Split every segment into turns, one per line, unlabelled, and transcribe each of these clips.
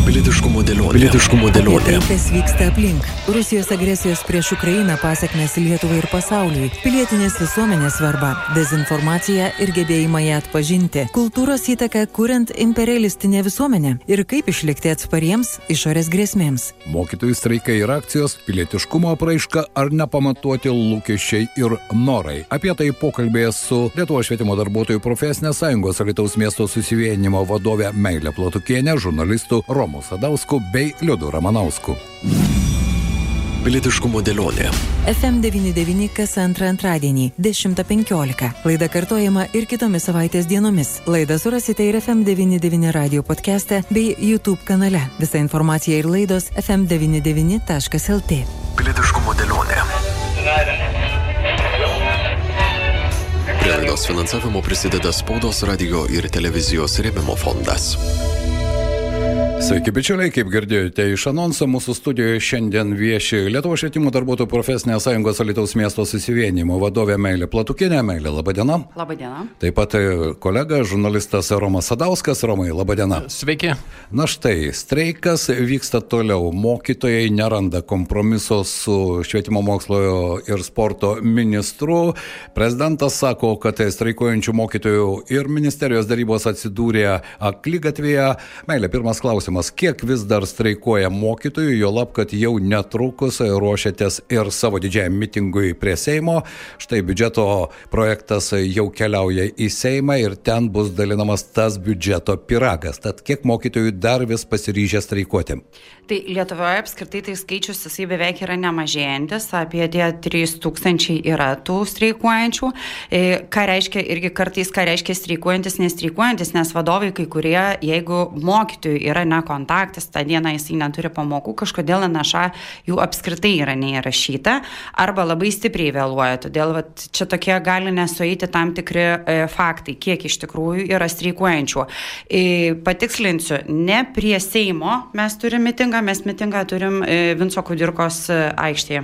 Pilietiškumo dėlionė.
Tai, kas vyksta aplink. Rusijos agresijos prieš Ukrainą pasekmės Lietuvai ir pasauliui. Pilietinės visuomenės svarba, dezinformacija ir gebėjimą ją atpažinti. Kultūros įtaka kuriant imperialistinę visuomenę. Ir kaip išlikti atspariems išorės grėsmėms.
Mokytojų streikai ir akcijos, pilietiškumo apraiška ar nepamatuoti lūkesčiai ir norai. Apie tai pokalbėje su Lietuvos švietimo darbuotojų profesinės sąjungos Alytaus miesto susivienijimo vadove Meile Platukiene, žurnalistu Romu Sadausku bei Liudu Ramanausku.
Pilietiškumo dėlionė.
FM99 kas antrą antradienį 10:15. Laida kartojama ir kitomis savaitės dienomis. Laidą surasite ir FM99 radio podcast'e bei YouTube kanale. Visa informacija ir laidos fm99.lt.
Pilietiškumo dėlionė. Prie laidos finansavimo prisideda Spaudos, radio ir televizijos rėmimo fondas.
Sveiki, bičiuliai, kaip girdėjote iš anonso, mūsų studijoje šiandien vieši Lietuvos švietimo darbuotojų profesinės sąjungos Alytaus miesto susivienijimo vadovė Meilė Platukienė. Meilė, laba diena.
Labą dieną.
Taip pat kolega, žurnalistas Romas Sadauskas. Romai, laba diena.
Sveiki.
Na štai, streikas vyksta toliau. Mokytojai neranda kompromiso su švietimo mokslo ir sporto ministru. Prezidentas sako, kad streikuojančių mokytojų ir ministerijos darybos atsidūrė akligatvėje. Meilė, pirmas klausimas. Kiek vis dar streikuoja mokytojų, juolab, kad jau netrukus ruošiatės ir savo didžiajam mitingui prie Seimo. Štai biudžeto projektas jau keliauja į Seimą ir ten bus dalinamas tas biudžeto pyragas. Tad kiek mokytojų dar vis pasiryžę streikuoti?
Tai Lietuvoje apskritai tai skaičius jisai beveik yra nemažėjantis, apie 3000 yra tų streikuojančių. Ką reiškia irgi kartais, ką reiškia streikuojantis, nestreikuojantis, nes vadovai kai kurie, jeigu mokytojų yra nekontaktas, tą dieną jisai neturi pamokų, kažkodėl NŠA jų apskritai yra neįrašyta arba labai stipriai vėluoja. Todėl čia tokie gali nesueiti tam tikri faktai, kiek iš tikrųjų yra streikuojančių. Patikslinsiu, ne prie Seimo mes turime mitingą, mes mitingą turim Vinco Kudirkos aikštėje.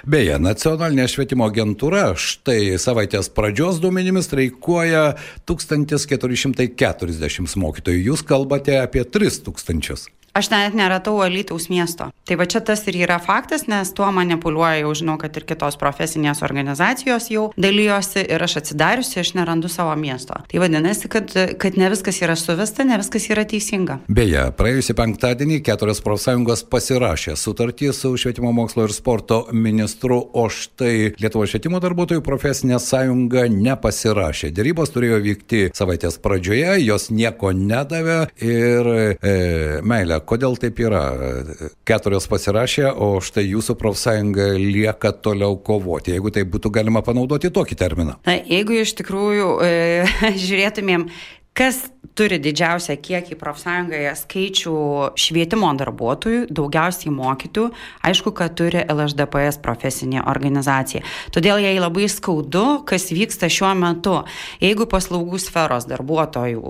Beje, nacionalinė švietimo agentūra štai savaitės pradžios duomenimis streikuoja 1440 mokytojų. Jūs kalbate apie 3000.
Aš net neratau Alytaus miesto. Tai va čia tas ir yra faktas, nes tuo manipuliuoja, jau žinau, kad ir kitos profesinės organizacijos jau dalyjosi ir aš atsidariusi, aš nerandu savo miesto. Tai vadinasi, kad ne viskas yra suvesta, ne viskas yra teisinga.
Beje, praėjusį penktadienį 4 profsąjungos pasirašė sutartį su švietimo mokslo ir sporto ministru, o štai Lietuvos švietimo darbuotojų profesinė sąjunga nepasirašė. Derybos turėjo vykti savaitės pradžioje, jos nieko nedavė ir Meilė, kodėl taip yra? 4 pasirašė, o štai jūsų profsąjunga lieka toliau kovoti, jeigu tai būtų galima panaudoti tokį terminą.
Na, jeigu iš tikrųjų žiūrėtumėm, kas turi didžiausią kiekį profsąjungoje skaičių švietimo darbuotojų, daugiausiai mokytojų, aišku, kad turi LHDPS profesinė organizacija. Todėl jai labai skaudu, kas vyksta šiuo metu. Jeigu paslaugų sferos darbuotojų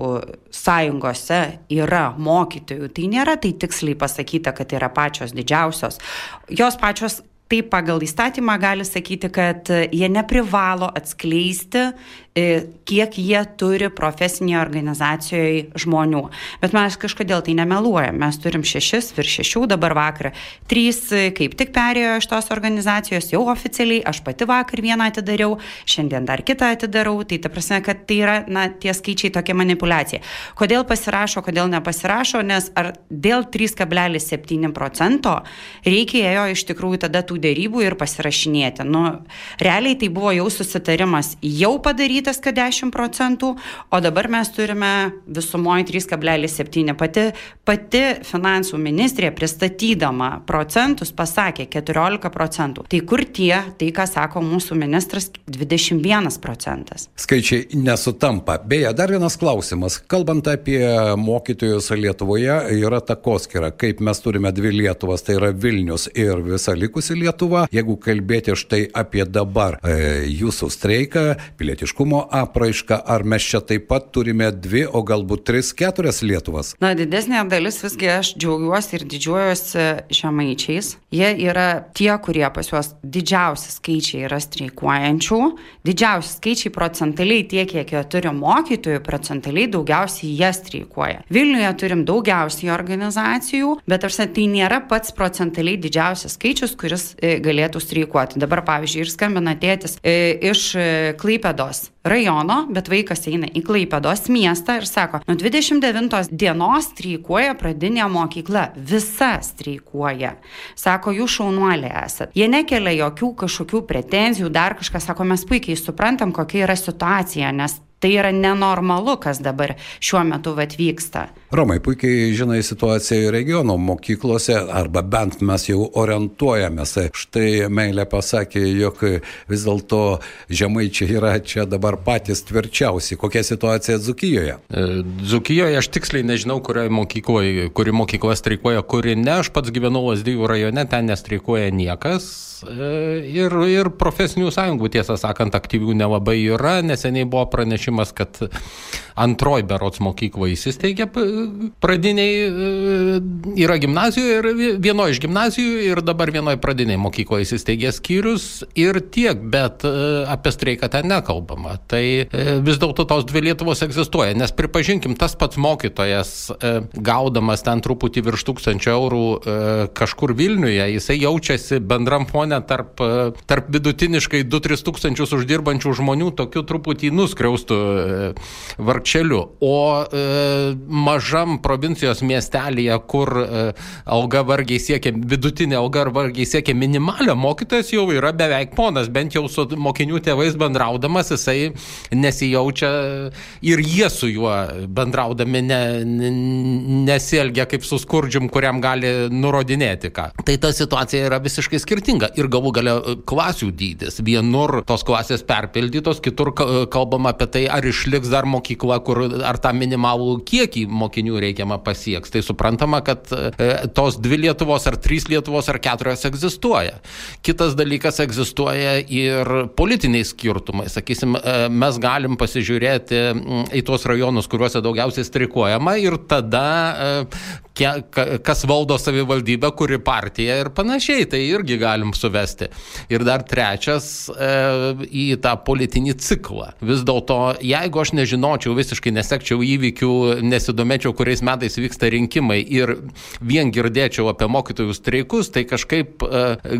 sąjungose yra mokytojų, tai nėra tai tiksliai pasakyta, kad yra pačios didžiausios. Jos pačios taip pagal įstatymą gali sakyti, kad jie neprivalo atskleisti, kiek jie turi profesinėje organizacijoje žmonių. Bet mes kažkodėl tai nemeluojam. Mes turim 6, virš 6, dabar vakar 3 kaip tik perėjo iš tos organizacijos, jau oficialiai, aš pati vakar vieną atidariau, šiandien dar kitą atidarau, tai ta prasme, kad tai yra, tie skaičiai tokia manipulacija. Kodėl pasirašo, kodėl nepasirašo, nes ar dėl 3,7% reikėjo iš tikrųjų tada tų dėrybų ir pasirašinėti. Realiai tai buvo jau susitarimas jau padarytas, kad 10%, o dabar mes turime visumoje 3,7%. Pati finansų ministrė pristatydama procentus pasakė 14%. Tai kur tai ką sako mūsų ministras, 21%.
Skaičiai nesutampa. Beje, dar vienas klausimas. Kalbant apie mokytojus Lietuvoje, yra takoskyra, kaip mes turime 2 Lietuvas, tai yra Vilnius ir visa likusi Lietuva. Jeigu kalbėti štai apie dabar jūsų streiką, pilietiškumo pasipriešinimo apraiška, ar mes čia taip pat turime 2, o galbūt 3, 4 Lietuvas?
Na, didesnė dalis visgi aš džiaugiuosi ir didžiuojuosi žemaičiais. Jie yra tie, kurie pas juos didžiausi skaičiai yra streikuojančių. Didžiausi skaičiai procentaliai tiek, kiek jie turi mokytojų, procentaliai daugiausiai jie streikuoja. Vilniuje turim daugiausiai organizacijų, bet tai nėra pats procentaliai didžiausias skaičius, kuris galėtų streikuoti. Dabar, pavyzdžiui, ir skambina tėtis iš Klaipėdos rajono, bet vaikas eina į Klaipėdos miestą ir sako, nuo 29 dienos streikuoja pradinė mokykla, visa streikuoja. Sako, jūs šaunuoliai esat. Jie nekelia jokių kažkokių pretenzijų, dar kažką, sako, mes puikiai suprantam, kokia yra situacija, nes tai yra nenormalu, kas dabar šiuo metu vyksta.
Romai, puikiai žinai situaciją regiono mokyklose, arba bent mes jau orientuojamės. Štai Meilė pasakė, jog vis dėlto žemaičiai yra čia dabar patys tvirčiausi. Kokia situacija Dzūkijoje?
Dzūkijoje aš tiksliai nežinau, kuri mokykla streikuoja, kuri ne. Aš pats gyvenu Lazdijų rajone, ten nestreikuoja niekas. Ir profesinių sąjungų, tiesą sakant, aktyvių nelabai yra. Neseniai buvo pranešimas, kad antroji berods mokykla įsisteigė pradiniai, yra gimnazijoje ir vienoje iš gimnazijų ir dabar vienoje pradiniai mokykloje įsisteigė skyrius ir tiek, bet apie streiką ten nekalbama. Tai vis dėlto tos 2 Lietuvos egzistuoja, nes pripažinkim, tas pats mokytojas, gaudamas ten truputį virš 1000 eurų kažkur Vilniuje, jisai jaučiasi bendram fone tarp vidutiniškai 2-3 tūkstančius uždirbančių žmonių tokiu truputį nuskriaustų vargšeliu. O mažam provincijos miestelėje, kur alga vargiai siekia, vidutinė alga vargiai siekia minimalią, mokytojas jau yra beveik ponas, bent jau su mokinių tėvais bendraudamas, jisai nesijaučia ir jie su juo bendraudami nesielgia kaip su skurdžium, kuriam gali nurodinėti ką. Tai ta situacija yra visiškai skirtinga. Ir galų gale klasių dydis. Vienur tos klasės perpildytos, kitur kalbama apie tai, ar išliks dar mokykla, ar tą minimalų kiekį mokinių reikiamą pasieks. Tai suprantama, kad tos 2 Lietuvos, ar 3 Lietuvos, ar 4 egzistuoja. Kitas dalykas, egzistuoja ir politiniai skirtumai. Sakysim, mes galim pasižiūrėti į tuos rajonus, kuriuose daugiausiai streikuojama ir tada kas valdo savivaldybę, kuri partija ir panašiai, tai irgi galim suvesti. Ir dar trečias į tą politinį ciklą. Vis dėlto, jeigu aš nežinočiau, visiškai nesekčiau įvykių, nesidomėčiau, kuriais metais vyksta rinkimai ir vien girdėčiau apie mokytojų streikus, tai kažkaip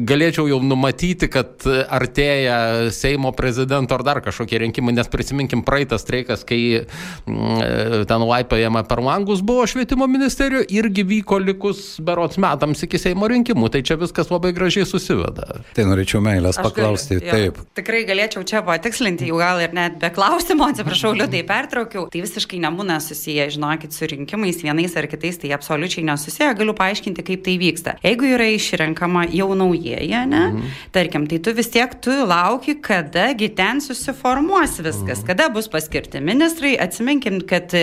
galėčiau jau numatyti, kad artėja Seimo prezidento ar dar kažkokie rinkimai, nes prisiminkim praeitą streikas, kai ten laipėjama per langus buvo švietimo ministerijoje, irgi vyko likus berods metams iki Seimo rinkimų, tai čia viskas labai gražiai susiveda.
Tai norėčiau Meilės paklausti. Taip.
Tikrai galėčiau čia patikslinti, jau gal ir net be klausimo, atsiprašau, liūdai pertraukiau. Tai visiškai nebūna susiję, žinokit, su rinkimais vienais ar kitais, tai absoliučiai nesusiję. Galiu paaiškinti, kaip tai vyksta. Jeigu yra išrenkama jau naujieji, ne? Tarkim, tai tu vis tiek lauki, kadagi ten susiformuos viskas, kada bus paskirti ministrai. Atsiminkim, kad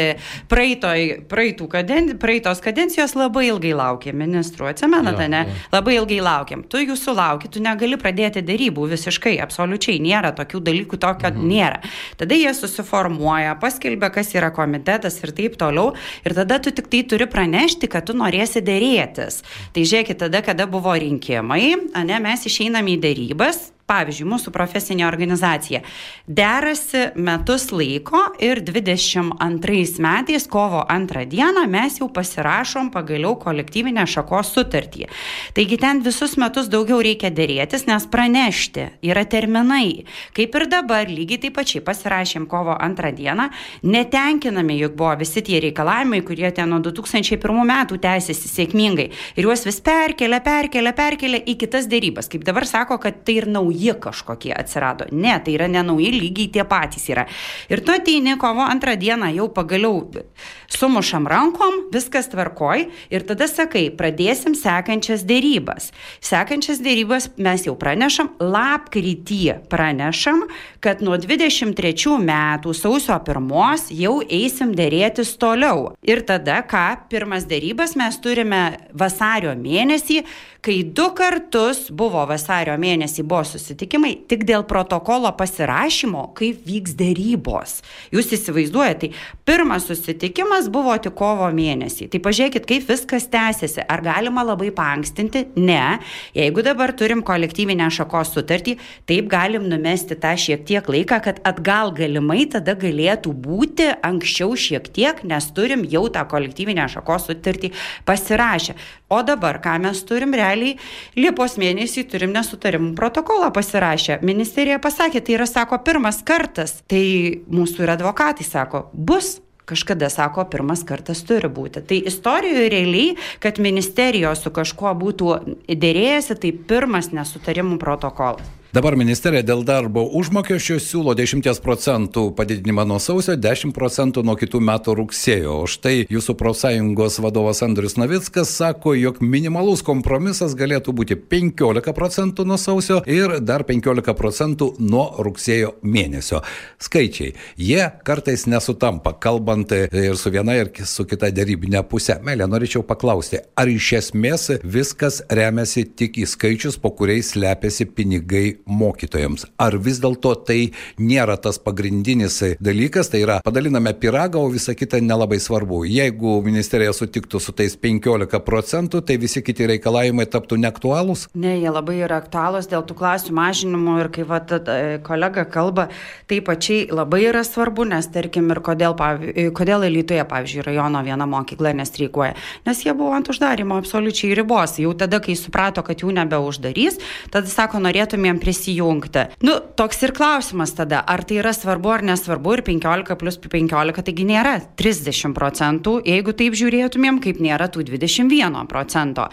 praeitos kadencijos labai ilgai laukė ministrų. Atsimenate, ne? Labai ilgai laukiam. Tu jų sulauki, tu negali pradėti darybų visiškai, absoliučiai nėra tokių dalykų, tokio nėra. Tada jie susiformuoja, paskelbia, kas yra komitetas ir taip toliau, ir tada tu tik tai turi pranešti, kad tu norėsi dėrėtis. Tai žiūrėkit, tada, kada buvo rinkimai, mes išeinam į darybas. Pavyzdžiui, mūsų profesinė organizacija derasi metus laiko ir 22 metais, kovo 2 dieną, mes jau pasirašom pagaliau kolektyvinę šakos sutartį. Taigi ten visus metus daugiau reikia dėrėtis, nes pranešti yra terminai. Kaip ir dabar, lygiai taip pačiai pasirašėm kovo 2 dieną, netenkinami juk buvo visi tie reikalavimai, kurie ten nuo 2001 metų tęsiasi sėkmingai. Ir juos vis perkelia į kitas dėrybas. Kaip dabar sako, kad tai ir nauji kažkokie atsirado. Ne, tai yra nenauji, lygiai tie patys yra. Ir tu ateini kovo 2 dieną, jau pagaliau sumušam rankom, viskas tvarkoj ir tada sakai, pradėsim sekančias dėrybas. Sekančias dėrybas mes jau pranešam, lapkritį pranešam, kad nuo 23 metų sausio 1 jau eisim dėrėtis toliau. Ir tada ką, pirmas dėrybas mes turime vasario mėnesį, kai 2 kartus buvo vasario mėnesį buvo susitikimai tik dėl protokolo pasirašymo, kaip vyks dėrybos. Jūs įsivaizduojate, tai pirmas susitikimas buvo tik kovo mėnesį. Tai pažiūrėkit, kaip viskas tęsiasi. Ar galima labai paankstinti? Ne. Jeigu dabar turim kolektyvinę šakos sutartį, taip galim numesti tą šiek tiek laiką, kad atgal galimai tada galėtų būti anksčiau šiek tiek, nes turim jau tą kolektyvinę šakos sutartį pasirašę. O dabar, ką mes turim realiai, Liepos mėnesį turim nesutarimų protokolą pasirašę. Ministerija pasakė, tai yra, sako, pirmas kartas. Tai mūsų ir advokatai sako, bus. Kažkada sako, pirmas kartas turi būti. Tai istorijoje realiai, kad ministerijos su kažkuo būtų dėrėjęsi, tai pirmas nesutarimų protokolas.
Dabar ministerija dėl darbo užmokesčio siūlo 10% padidinimą nuo sausio, 10% nuo kitų metų rugsėjo. O štai jūsų profsąjungos vadovas Andrius Navickas sako, jog minimalus kompromisas galėtų būti 15% nuo sausio ir dar 15% nuo rugsėjo mėnesio. Skaičiai, jie kartais nesutampa, kalbant ir su viena ir su kita dėrybinė pusė. Melė, norėčiau paklausti, ar iš esmės viskas remiasi tik į skaičius, po kuriais slepiasi pinigai mokytojams? Ar vis dėlto tai nėra tas pagrindinis dalykas, tai yra padaliname pyragą, o visa kita nelabai svarbu. Jeigu ministerija sutiktų su tais 15%, tai visi kiti reikalavimai taptų neaktualūs?
Ne, jie labai yra aktualūs dėl tų klasių mažinimų ir kai kolega kalba, tai pačiai labai yra svarbu, nes tarkim ir kodėl Alytuje, pavyzdžiui, rajono viena mokykla nestreikuoja, nes jie buvo ant uždarimo absoliučiai ribos. Jau tada, kai suprato, kad jų nebeuždarys, tada sako, norėtumėm prisijungti. Toks ir klausimas tada, ar tai yra svarbu ar nesvarbu, ir 15 plus 15, taigi nėra 30%, jeigu taip žiūrėtumėm, kaip nėra tų 21%.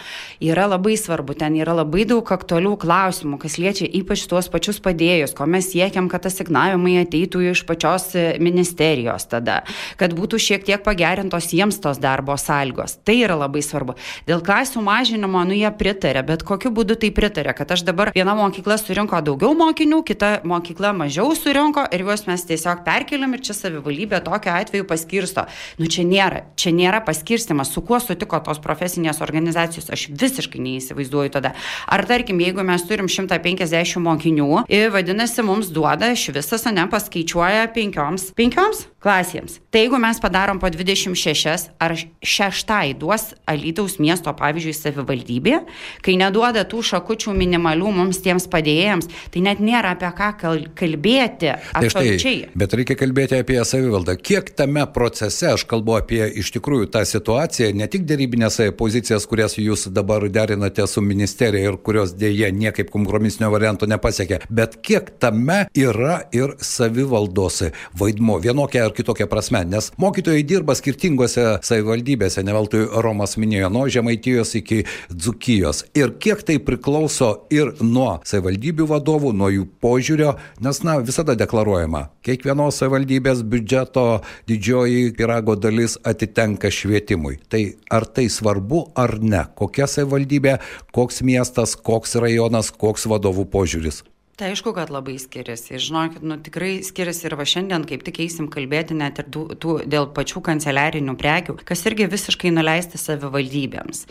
Yra labai svarbu, ten yra labai daug aktualių klausimų, kas liečia ypač tuos pačius padėjus, ko mes siekiam, kad asignavimai ateitų iš pačios ministerijos tada, kad būtų šiek tiek pagerintos jiems tos darbo sąlygos. Tai yra labai svarbu. Dėl klasių mažinimo, jie pritarė, bet kokiu būdu tai pritarė, kad aš dabar viena mokykla surinko daugiau mokinių, kita mokykla mažiau surinko ir juos mes tiesiog perkeliam ir čia savivaldybė tokiu atveju paskirsto. Čia nėra paskirstimas, su kuo sutiko tos profesinės organizacijos, aš visiškai neįsivaizduoju tada. Ar tarkim, jeigu mes turim 150 mokinių, vadinasi, mums duoda iš visas, paskaičiuoja 5 klasėms. Tai jeigu mes padarom po 26, ar 6 duos Alytaus miesto, pavyzdžiui, savivaldybė, kai neduoda tų šakučių minimalių mums tiems padėjėjams, tai net nėra apie ką kalbėti absoliučiai.
Bet reikia kalbėti apie savivaldą. Kiek tame procese, aš kalbu apie iš tikrųjų tą situaciją, ne tik dėrybinės pozicijas, kurias jūs dabar derinate su ministerija ir kurios dėje niekaip kompromisinio varianto nepasiekė, bet kiek tame yra ir savivaldos vaidmuo vienokia ar kitokia prasme, nes mokytojai dirba skirtingose savivaldybėse, ne veltui Romas minėjo, nuo Žemaitijos iki Dzūkijos. Ir kiek tai priklauso ir nuo savivaldybių vadovų, nuo jų požiūrio, nes visada deklaruojama, kiekvienos savivaldybės biudžeto didžioji pyrago dalis atitenka švietimui. Tai ar tai svarbu ar ne? Kokia savivaldybė, koks miestas, koks rajonas, koks vadovų požiūris?
Tai aišku, kad labai skiriasi. Žinokit, tikrai skiriasi ir va šiandien kaip tik eisim kalbėti net ir dėl pačių kanceliarinių prekių, kas irgi visiškai nuleisti savivaldybėms.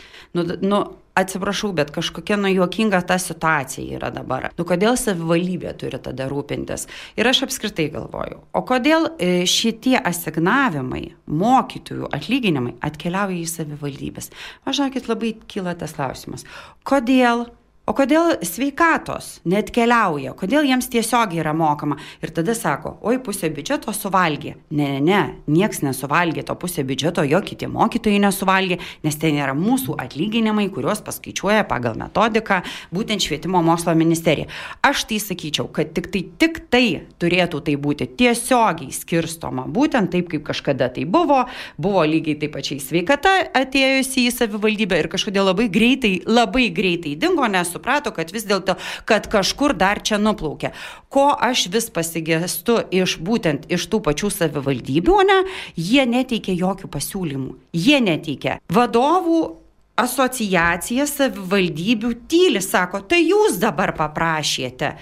Atsiprašau, bet kažkokia juokinga ta situacija yra dabar. Kodėl savivaldybė turi tada rūpintis? Ir aš apskritai galvoju, o kodėl šitie asignavimai, mokytojų atlyginimai atkeliauja į savivaldybės? Žinokit, labai kyla tas klausimas. O kodėl sveikatos neatkeliauja? Kodėl jiems tiesiog yra mokama? Ir tada sako, oi, pusė biudžeto suvalgė. Ne, nieks nesuvalgė to pusė biudžeto, jokie tie mokytojai nesuvalgė, nes ten yra mūsų atlyginimai, kuriuos paskaičiuoja pagal metodiką būtent švietimo mokslo ministerija. Aš tai sakyčiau, kad tik tai turėtų tai būti tiesiogiai skirstoma, būtent taip, kaip kažkada tai buvo lygiai taip pačiai sveikata atėjusi į savivaldybę ir kažkodėl labai greitai dingo, nes suprato, kad vis dėlto, kad kažkur dar čia nuplaukė. Ko aš vis pasigestu būtent iš tų pačių savivaldybių, jie neteikia jokių pasiūlymų. Jie neteikia. Vadovų asociacija savivaldybių tyli, sako, tai jūs dabar paprašėte.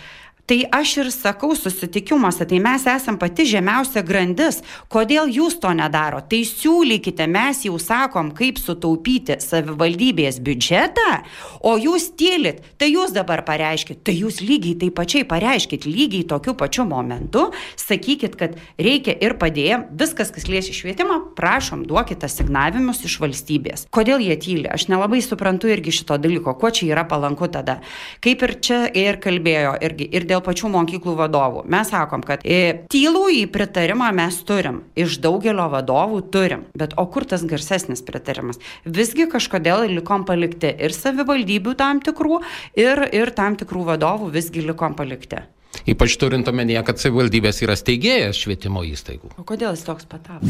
Tai aš ir sakau susitikimuose, tai mes esam pati žemiausia grandis. Kodėl jūs to nedaro? Tai siūlykite, mes jau sakom, kaip sutaupyti savivaldybės biudžetą, o jūs tylit. Tai jūs dabar pareiškit, tai jūs lygiai taip pačiai pareiškit, lygiai tokiu pačiu momentu, sakykit, kad reikia ir padėjom, viskas, kas liečia švietimą, prašom, duokite asignavimus iš valstybės. Kodėl jie tyli? Aš nelabai suprantu irgi šito dalyko, kuo čia yra palanku tada. Kaip ir čia ir kalbėjo irgi, ir dėl pačių mokyklų vadovų. Mes sakom, kad tylų į pritarimą mes turim, iš daugelio vadovų turim, bet o kur tas garsesnis pritarimas? Visgi kažkodėl likom palikti ir savivaldybių tam tikrų, ir tam tikrų vadovų visgi likom palikti.
Ypač turint omenyje, kad savivaldybės yra steigėjas švietimo įstaigų.
O kodėl jis toks patapo?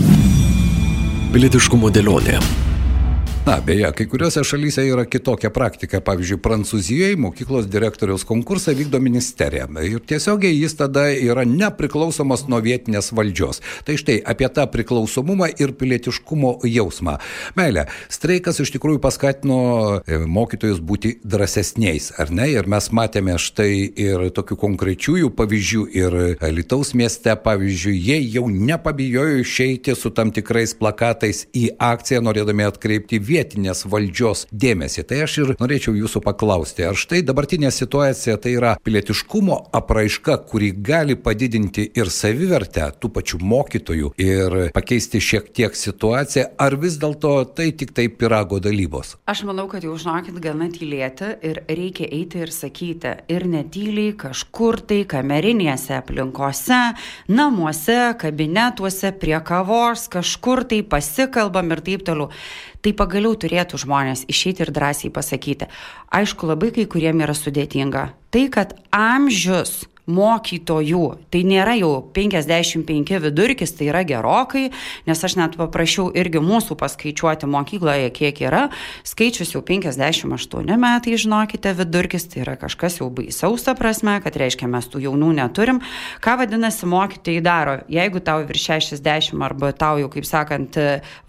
Pilietiškumo dėlionė.
Na, beje, kai kuriuose šalyse yra kitokia praktika. Pavyzdžiui, Prancūzijoje mokyklos direktoriaus konkursą vykdo ministerija. Ir tiesiogiai jis tada yra nepriklausomas nuo vietinės valdžios. Tai štai apie tą priklausomumą ir pilietiškumo jausmą. Meilė, streikas iš tikrųjų paskatino mokytojus būti drąsesniais, ar ne? Ir mes matėme štai ir tokių konkrečiųjų pavyzdžių. Ir Alytaus mieste, pavyzdžiui, jie jau nepabijojo išeiti su tam tikrais plakatais į akciją, norėdami atkreipti vietinės valdžios dėmesį. Tai aš ir norėčiau jūsų paklausti, ar štai dabartinė situacija tai yra pilietiškumo apraiška, kuri gali padidinti ir savivertę tų pačių mokytojų ir pakeisti šiek tiek situaciją, ar vis dėlto tai tik tai pyrago dalybos?
Aš manau, kad jau žinokit gana tylėti ir reikia eiti ir sakyti. Ir netyliai kažkur tai kamerinėse aplinkose, namuose, kabinetuose, prie kavos, kažkur tai pasikalbam ir taip toliau. Tai pagaliau turėtų žmonės išeiti ir drąsiai pasakyti. Aišku, labai kai kuriem yra sudėtinga. Tai, kad amžius mokytojų, tai nėra jau 55 vidurkis, tai yra gerokai, nes aš net paprašiau irgi mūsų paskaičiuoti mokykloje, kiek yra. Skaičius jau 58 metai, žinokite, vidurkis, tai yra kažkas jau baisiausia prasme, kad reiškia mes tų jaunų neturim. Ką vadinasi mokytojai daro? Jeigu tau virš 60 arba tau jau, kaip sakant,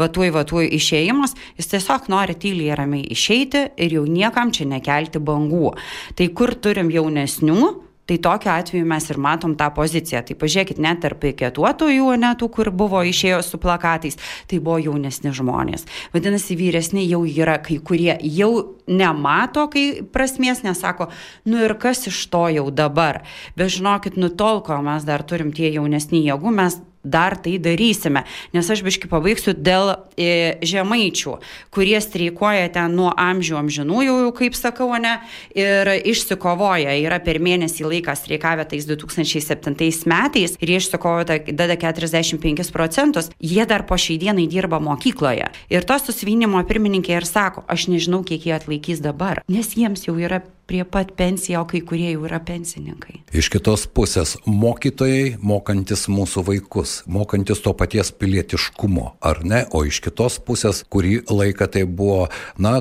vatuoj išėjimas, jis tiesiog nori tyliai ramiai išeiti ir jau niekam čia nekelti bangų. Tai kur turim jaunesnių? Tai tokiu atveju mes ir matom tą poziciją. Tai pažiūrėkit, net tarp piketuotojų, tų, kur buvo išėjo su plakatais, tai buvo jaunesni žmonės. Vadinasi, vyresni jau yra kai kurie, jau nemato, kai prasmės nesako, nu ir kas iš to jau dabar. Bet žinokit, tol, kol mes dar turim tie jaunesni jėgų, mes dar tai darysime, nes aš biškai pabaigsiu dėl žemaičių, kurie streikuoja ten nuo amžių amžinųjų, kaip sakau, ne, ir išsikovoja, yra per mėnesį laiką streikavę tais 2007 metais ir išsikovoja dada 45%, jie dar po šiai dienai dirba mokykloje. Ir to susivienimo pirmininkė ir sako, aš nežinau, kiek jie atlaikys dabar, nes jiems jau yra prie pat pensiją, o kai kurie jau yra pensininkai.
Iš kitos pusės, mokytojai mokantis mūsų vaikus, mokantis to paties pilietiškumo, ar ne? O iš kitos pusės, kurį laiką tai buvo,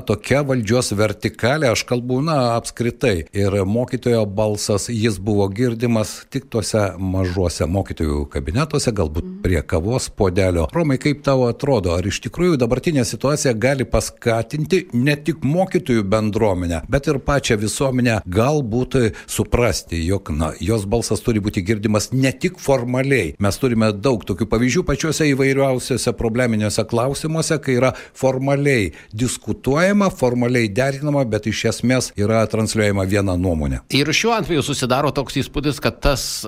tokia valdžios vertikalė, aš kalbu, apskritai. Ir mokytojo balsas, jis buvo girdimas tik tuose mažuose mokytojų kabinetuose, galbūt prie kavos puodelio. Romai, kaip tau atrodo, ar iš tikrųjų dabartinė situacija gali paskatinti ne tik mokytojų bendruomenę, bet ir pačią visuomenę galbūt suprasti, jog jos balsas turi būti girdimas ne tik formaliai. Mes turime daug tokių pavyzdžių pačiuose įvairiausiuose probleminiuose klausimuose, kai yra formaliai diskutuojama, formaliai derinama, bet iš esmės yra transliuojama viena nuomonė.
Ir šiuo atveju susidaro toks įspūdis, kad tas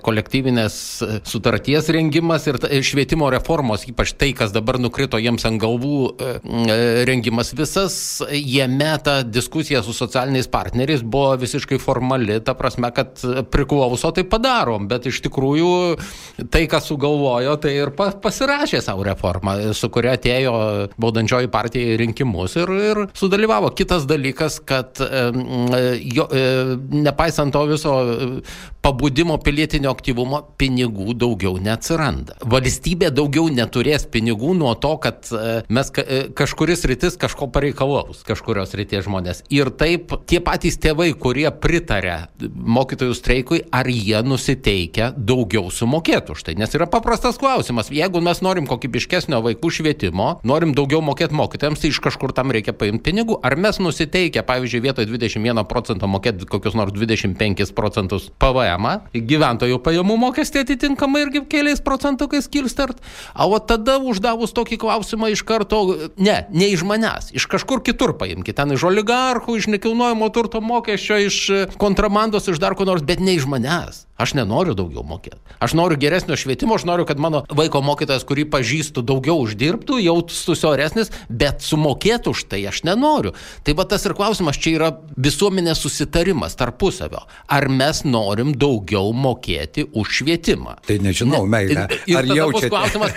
kolektyvinės sutarties rengimas ir švietimo reformos, ypač tai, kas dabar nukrito jiems ant galvų rengimas visas, jame ta diskusija su socialiniais partneriais buvo visiškai formali, ta prasme, kad priklauso tai padarom, bet iš tikrųjų tai, kas sugalvojo, tai ir pasirašė savo reformą, su kuria atėjo valdančioji partija į rinkimus ir sudalyvavo. Kitas dalykas, kad nepaisant to viso pabudimo pilietinio aktyvumo, pinigų daugiau neatsiranda. Valstybė daugiau neturės pinigų nuo to, kad mes kažkuris rytis kažko pareikalaus, kažkurios ryties žmonės. Ir taip tie patys patys tėvai, kurie pritarė mokytojų streikui, ar jie nusiteikia daugiau sumokėti už tai. Nes yra paprastas klausimas. Jeigu mes norim kokybiškesnio vaikų švietimo, norim daugiau mokėti mokytojams, tai iš kažkur tam reikia paimti pinigų. Ar mes nusiteikia, pavyzdžiui, vietoj 21% mokėti kokius nors 25% PVM, gyventojų pajamų mokestį atitinkamai irgi keliais procentukais kilstart. O tada uždavus tokį klausimą iš karto, ne iš manęs, iš kažkur kitur paimkite, ten iš oligarchų, iš nekilnojamo turto mokesčio, iš kontrabandos, iš dar ko nors, bet ne iš manęs. Aš nenoriu daugiau mokėti. Aš noriu geresnio švietimo, aš noriu, kad mano vaiko mokytojas, kurį pažįstu, daugiau uždirbtų, jaustųsi oresnis, bet sumokėtų už tai aš nenoriu. Tai va tas ir klausimas, čia yra visuomenės susitarimas tarpusavio. Ar mes norim daugiau mokėti už švietimą?
Tai nežinau, meilė.
Ir tada bus klausimas,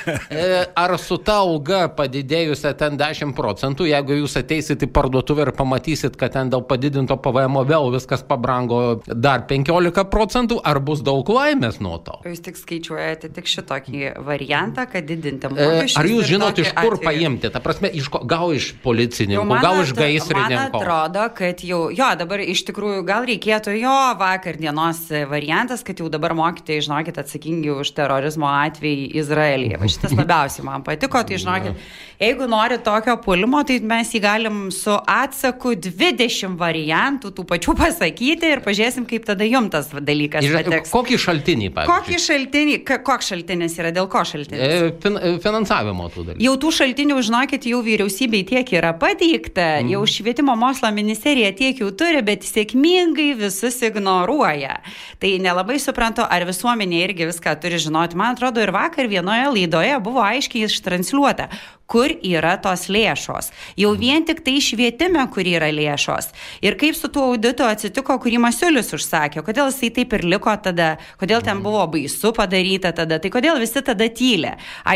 ar su ta alga padidėjusia ten 10%, jeigu jūs ateisit į parduotuvę ir pamatysit, kad ten dėl padidinto PVM vėl viskas pabrango dar 15%, ar bus daug laimės nuo to?
Jūs tik skaičiuojate tik šitokį variantą, kad didinti mokesčius.
Ar jūs žinot, iš kur paimti? Ta prasme, gal iš policininkų, gal iš gaisrininkų?
Man atrodo, kad dabar iš tikrųjų gal reikėtų vakar dienos variantas, kad jau dabar mokytojai, žinokit, atsakingi už terorizmo atvejį Izraelyje. Va šitas labiausiai man patiko, tai žinokit, jeigu nori tokio pulimo, tai mes jį galim su atsaku 20 variantų tų pačių pasakyti ir pažiūrėsim, kaip tada jums tas dalykas pateks.
Kokį šaltinį, pavyzdžiui?
Koks šaltinis yra, dėl ko šaltinis?
Finansavimo tų dalykų.
Jau tų šaltinių, žinokit, jau vyriausybei tiek yra pateikta, jau švietimo mokslo ministerija tiek jau turi, bet sėkmingai visus ignoruoja. Tai nelabai suprantu, ar visuomenė irgi viską turi žinoti. Man atrodo, ir vakar vienoje laidoje buvo aiškiai ištransliuota, kur yra tos lėšos. Jau vien tik tai švietime, kur yra lėšos. Ir kaip su tuo auditu atsitiko, kurį Masiulis užsakė, kodėl jisai taip ir liko tada, kodėl ten buvo baisu padaryta tada, tai kodėl visi tada tylė.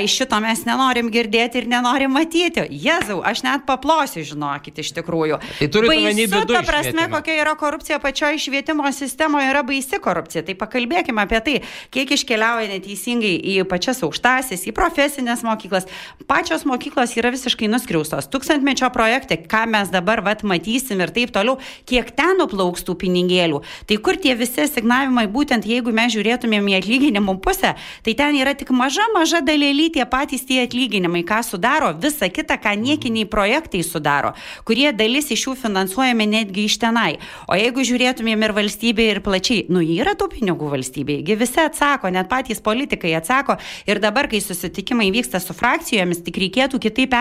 Šito mes nenorim girdėti ir nenorim matyti. Jezau, aš net paplosiu, žinokit, iš tikrųjų.
Tai
baisu, ta prasme, kokia yra korupcija pačioje švietimo sistemoje, yra baisi korupcija. Tai pakalbėkime apie tai, kiek iškeliauja neteisingai į pačias aukštasis, į profesinės mokyklas. Pačios mokyklos yra visiškai nuskriaustos. Tūkstantmečio projekte, ką mes dabar matysim ir taip toliau, kiek ten nuplauks tų pinigėlių. Tai kur tie visi asignavimai, būtent jeigu mes žiūrėtumėm į atlyginimų pusę, tai ten yra tik maža dalelį tie patys tie atlyginimai, ką sudaro, visa kita, ką niekiniai projektai sudaro, kurie dalis iš jų finansuojami netgi iš tenai. O jeigu žiūrėtumėm ir valstybė ir plačiai, yra tų pinigų valstybėje, visi atsako, net patys politikai atsako, ir dabar, kai susitikimai vyksta su frakcijomis, tik reikėtų kitaip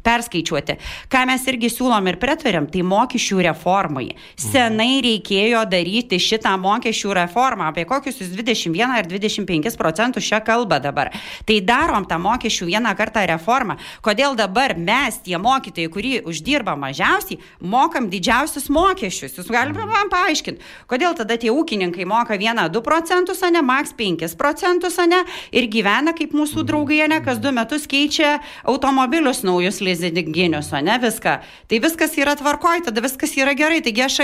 perskaičiuoti. Ką mes irgi siūlom ir pritarėm, tai mokesčių reformai. Senai reikėjo daryti šitą mokesčių reformą, apie kokius 21 ar 25% šią kalbą dabar. Tai darom tą mokesčių vieną kartą reformą. Kodėl dabar mes, tie mokytojai, kurie uždirba mažiausiai, mokam didžiausius mokesčius? Jūs galite man paaiškinti, kodėl tada tie ūkininkai moka 1-2%, ne, maks 5%, ir gyvena kaip mūsų draugai, ne, kas 2 metus keičia automobilius naujus lizinginius, ne, viską. Tai viskas yra tvarkoj, tada viskas yra gerai. Taigi aš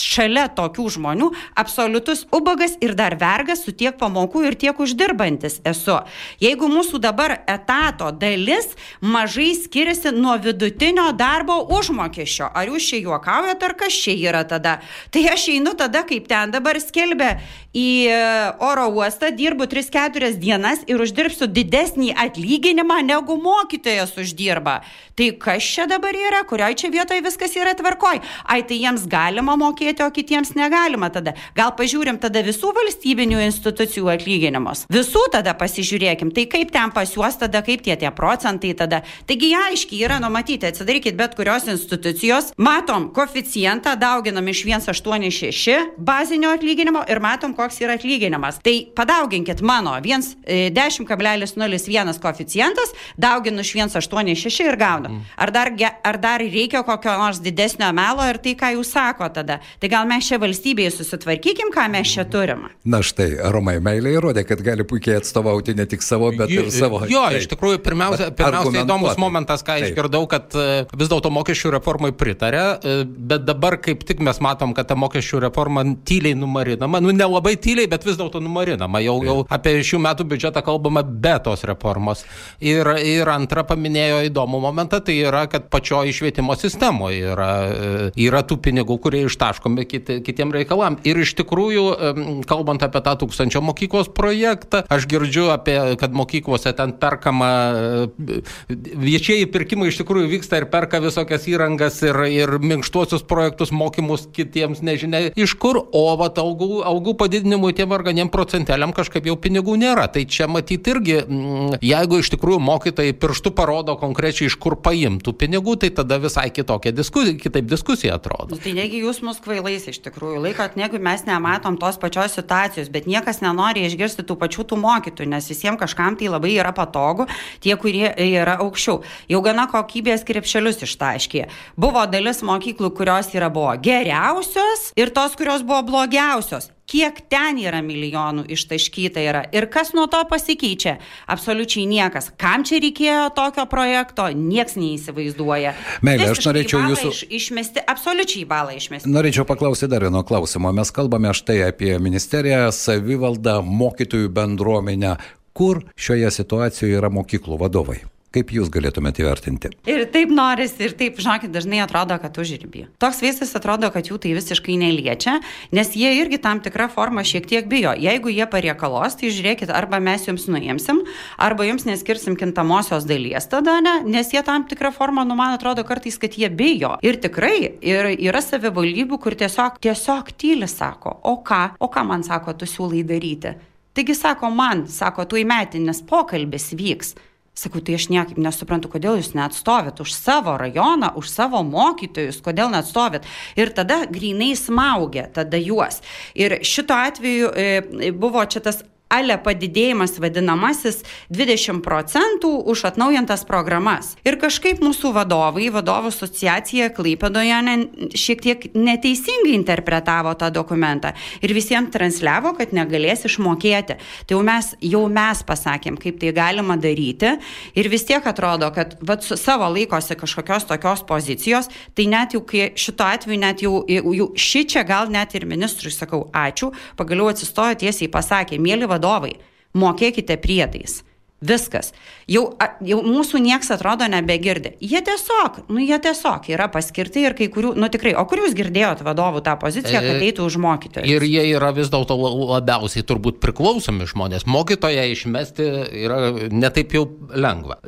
šalia tokių žmonių absoliutus ubagas ir dar vergas su tiek pamokų ir tiek uždirbantis esu. Jeigu mūsų dabar etato dalis mažai skiriasi nuo vidutinio darbo užmokesčio, ar jūs čia juokaujat, ar kas čia yra tada? Tai aš einu tada, kaip ten dabar skelbia, į oro uostą, dirbu 3-4 dienas ir uždirbsiu didesnį atlyginimą, negu mokytojas uždirba. Tai kas čia dabar yra? Kurioj čia vietoje viskas yra tvarkoj? Tai jiems galima mokėti, o kitiems negalima tada. Gal pažiūrim tada visų valstybinių institucijų atlyginimus. Visų tada pasižiūrėkim. Tai kaip ten pas juos tada, kaip tie procentai tada. Taigi aiškiai yra numatyti. Atsidarykit bet kurios institucijos. Matom koeficientą, dauginam iš 1,86 bazinio atlyginimo ir matom, koks yra atlyginimas. Tai padauginkit mano 10,01 koeficientas, dauginu iš 1,86 ir gaunu. Ar dar reikia kokio nors didesnio melo ir tai, ką jūs sako tada? Tai gal mes čia valstybėje susitvarkykim, ką mes čia turim?
Na štai, Romai, meilė įrodė, kad gali puikiai atstovauti ne tik savo, bet ir savo.
Iš tikrųjų, pirmiausia įdomus momentas, ką išgirdau, kad vis dėlto mokesčių reformai pritarė, bet dabar kaip tik mes matom, kad ta mokesčių reforma tyliai numarinama, nelabai tyliai, bet vis dėlto numarinama. Jau apie šių metų biudžetą kalbama be tos reformos. Ir Ir antra paminėjo įdomų momentą, tai yra, kad pačioje švietimo sistemoje yra tų pinigų, kurie ištaškomi kitiem reikalam. Ir iš tikrųjų, kalbant apie tą 1000 mokyklos projektą, aš girdžiu kad mokyklose ten perkama, viešieji pirkimai iš tikrųjų vyksta ir perka visokias įrangas ir minkštuosius projektus, mokymus kitiems, nežinia iš kur, o algų padidinimui tiem varganiem procentėliam kažkaip jau pinigų nėra. Tai čia matyti irgi, jeigu iš tikrųjų mokytojai pirštu parodo konkrečiai iš kur paimtų pinigų, tai tada visai kitaip diskusija atrodo.
Tai negi jūs mus kvailais iš tikrųjų laikot, negu mes nematom tos pačios situacijos, bet niekas nenori išgirsti tų pačių tų mokytojų, nes visiems kažkam tai labai yra patogu, tie, kurie yra aukščiau. Jau gana kokybės krepšelius ištaškė. Buvo dalis mokyklų, kurios buvo geriausios ir tos, kurios buvo blogiausios. Kiek ten yra milijonų ištaškyta yra ir kas nuo to pasikeičia? Absoliučiai niekas. Kam čia reikėjo tokio projekto? Nieks neįsivaizduoja.
Meilė, aš norėčiau jūsų...
Išmesti, absoliučiai balą išmesti.
Norėčiau paklausyti dar vieno klausimo. Mes kalbame štai apie ministeriją, savivaldą, mokytojų bendruomenę. Kur šioje situacijoje yra mokyklų vadovai? Kaip jūs galėtumėte įvertinti?
Ir taip norisi, ir taip, žinokit, dažnai atrodo, kad užribį. Toks vaizdas atrodo, kad jų tai visiškai neliečia, nes jie irgi tam tikrą formą šiek tiek bijo. Jeigu jie pareikalos, tai žiūrėkit, arba mes jums nuimsim, arba jums neskirsim kintamosios dalies tada, ne? Nes jie tam tikrą formą, man atrodo kartais, kad jie bijo. Ir tikrai, yra savivaldybių, kur tiesiog tyli sako, o ką man sako, tu siūlai daryti. Taigi sako, tu įmetinis pokalbis vyks. Sakau, tai aš niekaip nesuprantu, kodėl jūs neatstovit už savo rajoną, už savo mokytojus, kodėl neatstovit. Ir tada grynai smaugia tada juos. Ir šito atveju buvo čia tas padidėjimas vadinamasis 20% už atnaujintas programas. Ir kažkaip mūsų vadovų asociacija Klaipėdoje šiek tiek neteisingai interpretavo tą dokumentą ir visiems transliavo, kad negalės išmokėti. Tai jau mes pasakėm, kaip tai galima daryti ir vis tiek atrodo, kad savo laikosi kažkokios tokios pozicijos, tai net jau šito atveju net jau šičia gal net ir ministrui sakau ačiū, pagaliau atsistojo tiesiai pasakė, mėly vadovai, mokėkite priedais. Viskas. Jau mūsų nieks atrodo nebegirdi. Jie tiesiog yra paskirti ir kai kurių, tikrai, o kur jūs girdėjot vadovų tą poziciją, kad eitų už mokytojus?
Ir jie yra vis dėlto labiausiai turbūt priklausomi žmonės. Mokytoją išmesti yra netaip jau lengva.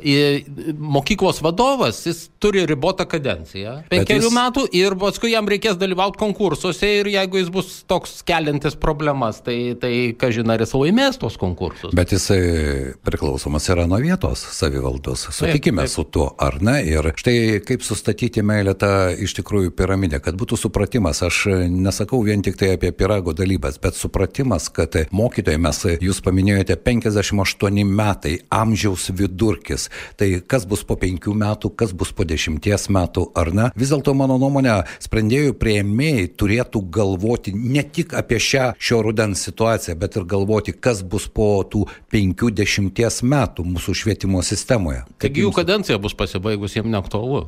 Mokyklos vadovas, jis turi ribotą kadenciją, 5 metų ir paskui jam reikės dalyvauti konkursuose ir jeigu jis bus toks keliantis problemas, tai kažin ar jis laimės tos konkursus.
Bet jisai priklausomas yra nuo vietos savivaldos. Sutikime su tuo, ar ne? Ir štai kaip sustatyti, Meilė, tą iš tikrųjų piramidę, kad būtų supratimas. Aš nesakau vien tik tai apie pyrago dalybas, bet supratimas, kad mokytojai, jūs paminėjote 58 metai, amžiaus vidurkis. Tai kas bus po 5 metų, kas bus po 10 metų, ar ne? Vis dėlto, mano nuomonė, sprendėjų priėmėjai turėtų galvoti ne tik apie šio rudens situaciją, bet ir galvoti, kas bus po tų 50 metų mūsų švietimo sistemoje.
Taigi jų kadencija bus pasibaigus, jiems neaktualu.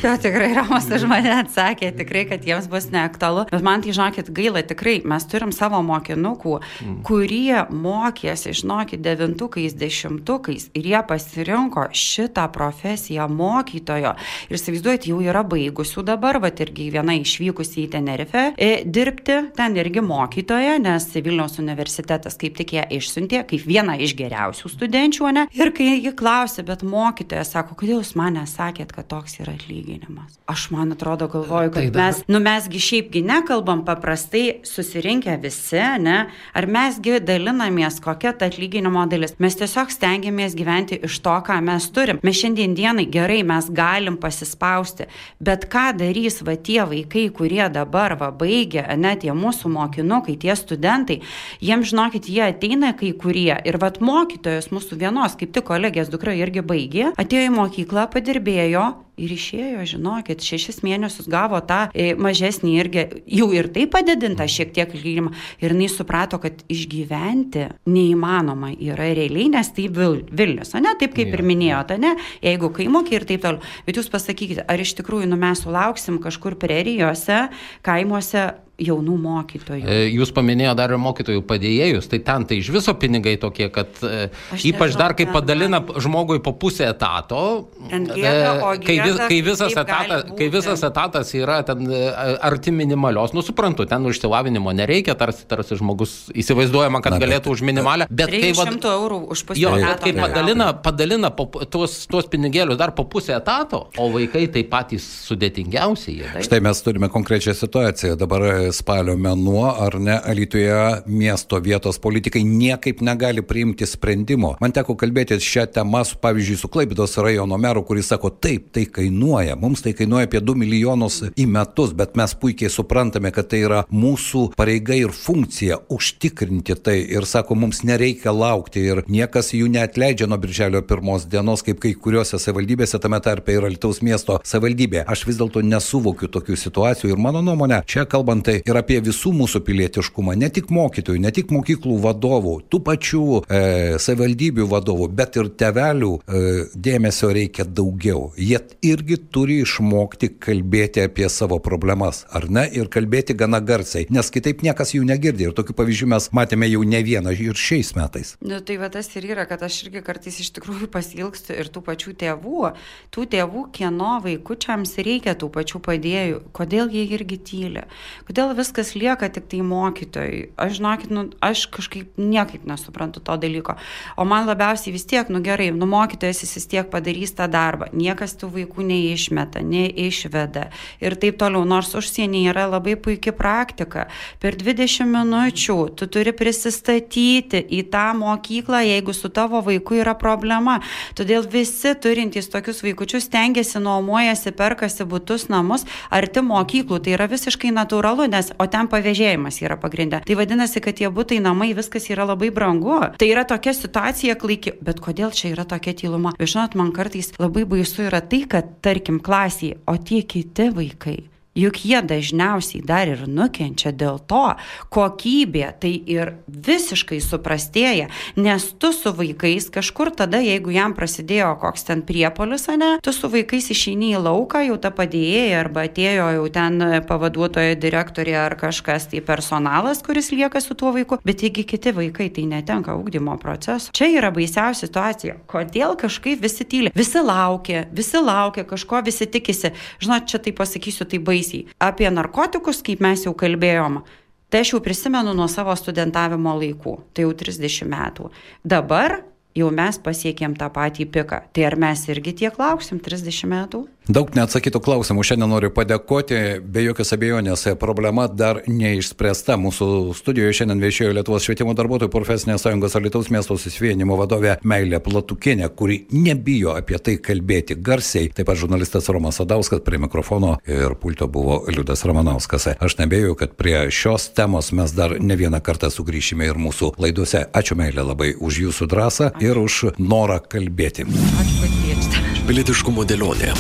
Jo, tikrai Romas už mane atsakė, tikrai, kad jiems bus neaktualu. Bet man tai, žinokit, gaila, tikrai, mes turim savo mokinukų, kurie mokėsi, žinokit, 9-ukais, 10-ukais ir jie pasirinko šitą profesiją mokytojo. Ir įsivaizduojat, jau yra baigusių dabar, irgi viena išvykusi į Tenerife dirbti, ten irgi mokytoja, nes Vilniaus universitetas kaip tik ją išsiuntė, kaip viena iš geriausių studenčių, ne? Ir kai ji klausė, bet mokytoja sako, kodėl jūs man nesakėt, kad toks yra atlyginimas. Aš, man atrodo, galvoju, kad mesgi šiaipgi nekalbam paprastai susirinkę visi, ne? Ar mesgi dalinamės kokia ta atlyginimo dalis? Mes tiesiog stengiamės gyventi iš to, ką mes turim. Mes šiandien dienai gerai, mes galim pasispausti, bet ką darys tie vaikai, kurie dabar baigia, ne, tie mūsų mokinukai, tie studentai, jiems, žinokit, jie ateina kai kurie ir mokytojos mūsų vienos, kaip tik kolegės dukra irgi baigė, atėjo į mokyklą, padirbėjo ir išėjo, žinokit, 6 mėnesius gavo tą mažesnį irgi, jau ir tai padidinta šiek tiek atlyginimą. Ir jinai suprato, kad išgyventi neįmanoma yra realiai, nes tai Vilnius, ne, taip kaip ir minėjote, ne, jeigu kaimokė ir taip toliau. Bet jūs pasakykite, ar iš tikrųjų mes sulauksim kažkur prerijose, kaimuose jaunų mokytojų.
Jūs paminėjo dar ir mokytojų padėjėjus, tai ten tai iš viso pinigai tokie, kad ypač dar kai padalina žmogui po pusę etato, kai visas etatas yra ten arti minimalios, suprantu, ten išsilavinimo nereikia, tarsi žmogus įsivaizduojama, kad galėtų už minimalę, bet kai
100 eurų už pusę etato.
Kai padalina tuos pinigėlius dar po pusę etato, o vaikai tai patys sudėtingiausi.
Štai mes turime konkrečią situaciją. Dabar spalio mėnuo, ar ne, Alytuje miesto vietos politikai niekaip negali priimti sprendimo. Man teko kalbėti šią temą, pavyzdžiui, su Klaipėdos rajono meru, kuris sako, taip, tai kainuoja. Mums tai kainuoja apie 2 milijonus į metus, bet mes puikiai suprantame, kad tai yra mūsų pareiga ir funkcija užtikrinti tai. Ir sako, mums nereikia laukti ir niekas jų neatleidžia nuo birželio 1 dienos, kaip kai kuriuose savivaldybėse, tame tarpe ir Alytaus miesto savivaldybė. Aš vis dėlto nesuvokiu tokių situacijų ir mano nuomonė, čia kalbant tai ir apie visų mūsų pilietiškumą, ne tik mokytojų, ne tik mokyklų vadovų, tų pačių savivaldybių vadovų, bet ir tėvelių dėmesio reikia daugiau. Jie irgi turi išmokti kalbėti apie savo problemas, ar ne, ir kalbėti gana garsiai, nes kitaip niekas jų negirdi. Ir tokių pavyzdžių mes matėme jau ne vieną ir šiais metais.
Tai va tas ir yra, kad aš irgi kartais iš tikrųjų pasilgstu ir tų pačių tėvų, kieno vaikučiams reikia tų pačių padėjų, kodėl jie irgi tyli, kodėl viskas lieka tik tai mokytojai. Aš žinokit, aš kažkaip niekaip nesuprantu to dalyko. O man labiausiai vis tiek, gerai, mokytojas jis vis tiek padarys tą darbą, niekas tų vaikų neišmeta, neišveda ir taip toliau, nors užsienyje yra labai puikia praktika. Per 20 minučių tu turi prisistatyti į tą mokyklą, jeigu su tavo vaiku yra problema. Todėl visi turintys tokius vaikučius stengiasi, nuomojasi, perkasi butus, namus arti mokyklų. Tai yra visiškai natūralu, o ten pavėžėjimas yra pagrindė. Tai vadinasi, kad tie butai, namai, viskas yra labai brangu. Tai yra tokia situacija klaiki. Bet kodėl čia yra tokia tyluma? Žinot, man kartais labai baisu yra tai, kad, tarkim, klasėje, o tie kiti vaikai, juk jie dažniausiai dar ir nukenčia dėl to, kokybė tai ir visiškai suprastėja, nes tu su vaikais kažkur tada, jeigu jam prasidėjo koks ten priepuolis, tu su vaikais išeini į lauką, jau ta padėjėja arba atėjo jau ten pavaduotoja direktorė ar kažkas, tai personalas, kuris lieka su tuo vaiku, bet jeigu kiti vaikai tai netenka ugdymo proceso. Čia yra baisiausia situacija. Kodėl kažkaip visi tyli? Visi laukia kažko, visi tikisi. Žinot, čia tai pasakysiu, tai baisiai. Apie narkotikus, kaip mes jau kalbėjom, tai aš jau prisimenu nuo savo studentavimo laikų, tai jau 30 metų. Dabar jau mes pasiekėm tą patį piką. Tai ar mes irgi tiek lauksim 30 metų?
Daug neatsakytų klausimų. Šiandien noriu padėkoti. Be jokios abejonės, problema dar neišspręsta. Mūsų studijoje šiandien viešėjo Lietuvos švietimo darbuotojų profesinės sąjungos Alytaus miesto susivienijimo vadovė Meilė Platukienė, kuri nebijo apie tai kalbėti garsiai. Taip pat žurnalistas Romas Sadauskas, prie mikrofono ir pulto buvo Liudas Ramanauskas. Aš nebejoju, kad prie šios temos mes dar ne vieną kartą sugrįšime ir mūsų laidose. Ačiū, Meilė, labai už jūsų drąsą ir už norą kalbėti.
Ačiū, kad kviečiate.
Pilietiškumo dėlionė.